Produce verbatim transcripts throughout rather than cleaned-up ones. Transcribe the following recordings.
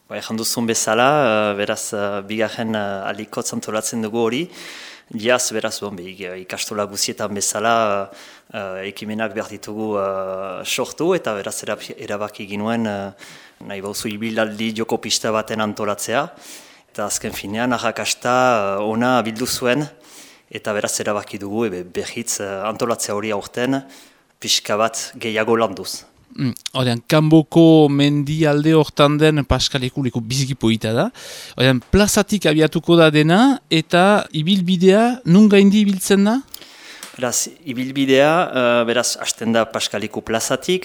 Ba, ejan duzun bezala, uh, beraz, uh, bigarren uh, alikotz antolatzen dugu hori. Diaz, beraz, bon, be, ikastola guzietan bezala uh, uh, ekimenak behar ditugu uh, sortu, eta beraz erabaki ginuen uh, nahi bauzu ibilaldi joko pista baten antolatzea. Eta azken finean, arrakasta uh, ona bildu zuen, eta beraz erabaki dugu ebe, behitz uh, antolatzea hori aurten pixka bat gehiago landuz. Odean, Kanboko mendi alde hortan den paskalekuliko biziki poita da. Odean, plazatik abiatuko da dena eta ibilbidea nun gaindi ibiltzen da? Beraz, ibilbidea, uh, beraz, hasten da Paskaliku plazatik,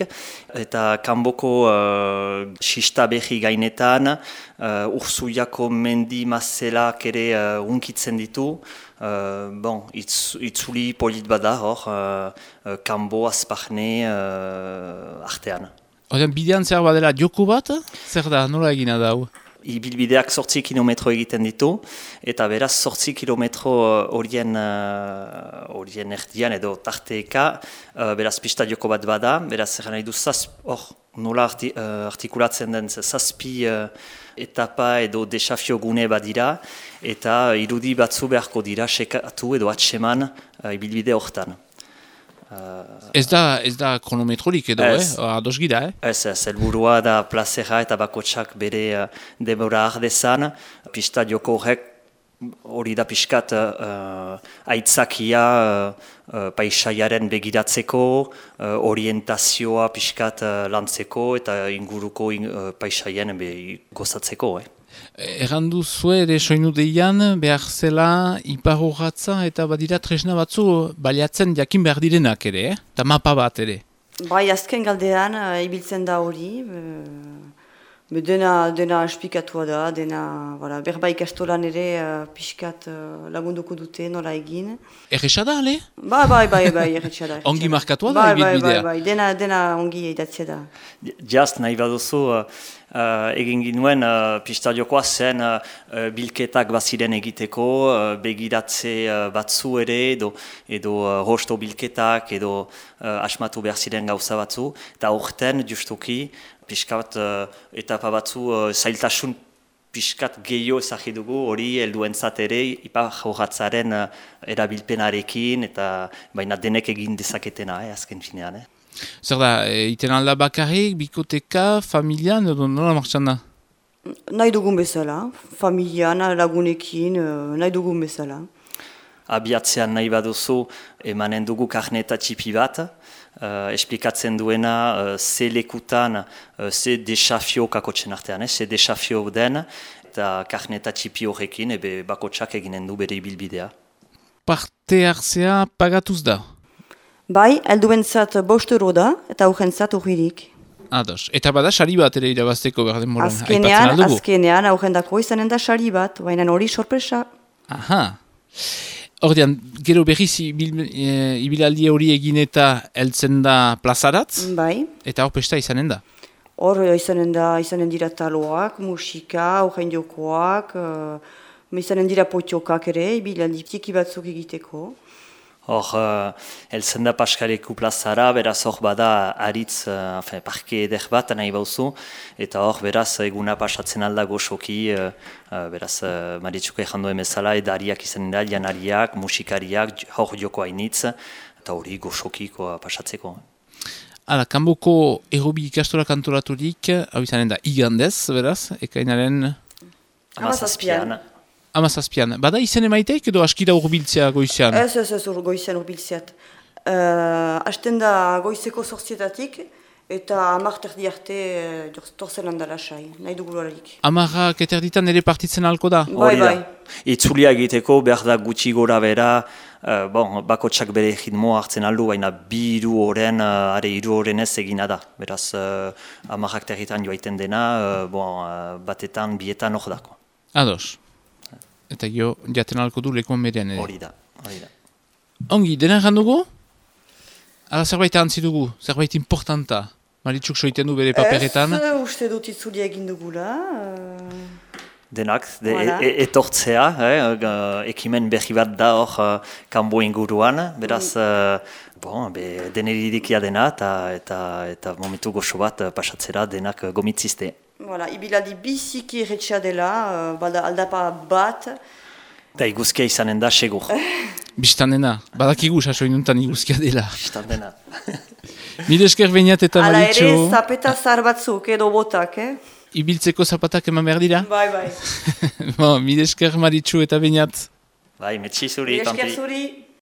eta Kanboko uh, sista behi gainetan, uh, Urzuiako mendi mazelak ere uh, unkitzen ditu. Uh, bon, itz, itzuli polit bada hor, uh, uh, Kanbo, Azparne uh, artean. Odean, bidean zer badela joko bat? Zer da, nola egina da hau? Ibilbideak zortzi kilometro egiten ditu, eta beraz zortzi kilometro horien horien erdian edo tarteeka, uh, beraz pista joko bat bada, beraz zer nahi du hor nola arti, uh, artikulatzen den zazpi uh, etapa edo desafio gune badira, eta irudi batzu beharko dira sekatu edo atseman uh, ibilbide hortan. Uh, ez da, ez da kronometrorik edo, ez, eh? Ados gira, eh? Ez, ez, helburua da plazera eta bakotsak bere uh, demora ardezan. Pista joko horrek hori da pixkat uh, aitzakia uh, uh, paisaiaren begiratzeko, uh, orientazioa pixkat uh, lantzeko eta inguruko in, uh, paisaien be, gozatzeko, eh? Errandu zue ere soinu deian behar zela iparrogatza eta badira tresna batzu baliatzen jakin behar direnak ere, eh? Eta mapa bat ere. Bai, azken galdean uh, ibiltzen da hori, be, dena, dena espikatua da, dena voilà, berba ikastolan ere uh, pixkat uh, lagunduko dute nola egin. Erresa da, ale? Bai, bai, bai, bai, erresa da. Ongi markatua da, bai, bai, ibilbidea? Bai, bai, dena, dena ongi idatzea da. Just nahi baduzu, uh, uh, egin ginuen uh, pista jokoa zen uh, bilketak baziren egiteko, uh, begiratze uh, batzu ere, edo, edo uh, rosto bilketak, edo uh, asmatu behar ziren gauza batzu, eta horten justuki, piskat uh, etapa batzu uh, zailtasun piskat gehiago ezagri dugu hori helduentzat ere ipar jorratzaren uh, erabilpenarekin eta baina denek egin dezaketena, eh, azken finean. Eh. Zer da, e, iten alda bakarrik, bikoteka, familian, edo nola martxan da? Nahi dugun bezala, familian, lagunekin, nahi dugun bezala. Abiatzean nahi baduzu emanen dugu karneta txipi bat, uh, esplikatzen duena uh, ze lekutan, uh, ze desafio kakotzen artean, eh, ze desafio den, eta karneta txipi horrekin ebe bakotsak eginen du bere ibilbidea. Parte hartzea pagatuz da? Bai, helduentzat bost euro da, eta aurrentzat urririk. Ados, eta bada sari bat ere irabazteko behar denboran, aipatzen azkenean, aldugu? Azkenean, aurrendako izanen da sari bat, baina hori sorpresa. Aha. Ordean, gero berriz ibil, e, ibilaldi hori egin eta heltzen da plazaratz? Bai. Eta hor pesta izanen da? Hor izanen da, izanen dira taloak, musika, aurren jokoak, uh, izanen dira potxokak ere, ibilaldi tiki batzuk egiteko. Hor, uh, heltzen da Paskaleku plazara, beraz hor bada aritz, uh, enfin, parke eder bat nahi bauzu, eta hor beraz eguna pasatzen alda goxoki, uh, uh, beraz uh, Maritxuko egin duen bezala, edariak izanen da, janariak, musikariak, hor joko hainitz, eta hori goxokiko pasatzeko. Hala, Kanboko errobi ikastola kantoraturik, hau izanen da igandez, beraz, ekainaren... Hamazazpian. Hamazazpian. Bada izen emaiteik edo askira urbiltzea goizean? Ez, ez, ez, goizean urbiltzeat. Uh, Asten da goizeko zortzietatik eta amak terdi arte uh, torzen handala sai, nahi dugularik. Amarrak eterditan ere partitzen halko da? Bai, bai. Itzulia egiteko behar da gutxi gora bera, uh, bon, bakotsak bere ritmo hartzen aldu, baina bi hiru oren, uh, are hiru oren ez egina da. Beraz, uh, amarrak territan joaiten dena, uh, bon, uh, batetan, bietan hor dako. Ados. Eta jo, jaten alko du lekuan berean ere. Hori da, hori da. Ongi, dena errandugu? Ala zerbait ahantzi dugu, zerbait importanta. Maritxuk soiten du bere paperetan. Ez, uste dut itzulia egin dugula. Uh... Denak, de, voilà. e, e, etortzea, eh, ekimen berri bat da hor uh, Kanbo inguruan, beraz, uh, bon, be, deneridikia dena eta, eta, eta momentu goxo bat uh, pasatzera denak uh, gomitzizte. Voilà, ibilaldi biziki retxea dela, uh, bada aldapa bat. Da iguzkia izanen da, segur. Biztanena, badakigu sasoinuntan iguzkia dela. Biztanena. Mire esker behinat eta Hala Maritxo. ere, zapeta zahar batzuk edo botak, eh? Ibiltzeko zapatak eman behar dira? Bai, bai. Bon, mire esker Maritxo eta behinat. Bai, metxi zuri, Mire esker Pampi. zuri.